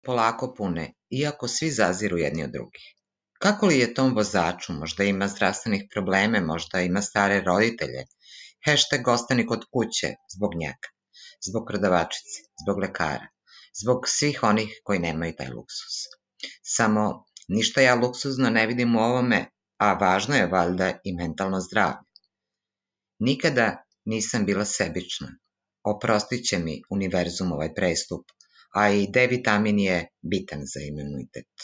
polako pune, iako svi zaziru jedni od drugih. Kako li je tom vozaču? Možda ima zdravstvenih probleme, možda ima stare roditelje. Hashtag ostani kod kuće zbog njega, zbog prodavačice, zbog lekara, zbog svih onih koji nemaju taj luksus. Samo ništa ja luksuzno ne vidim u ovome, a važno je valjda i mentalno zdravlje. Nikada nisam bila sebična. Oprostit će mi univerzum ovaj prestup, a i D vitamin je bitan za imunitet.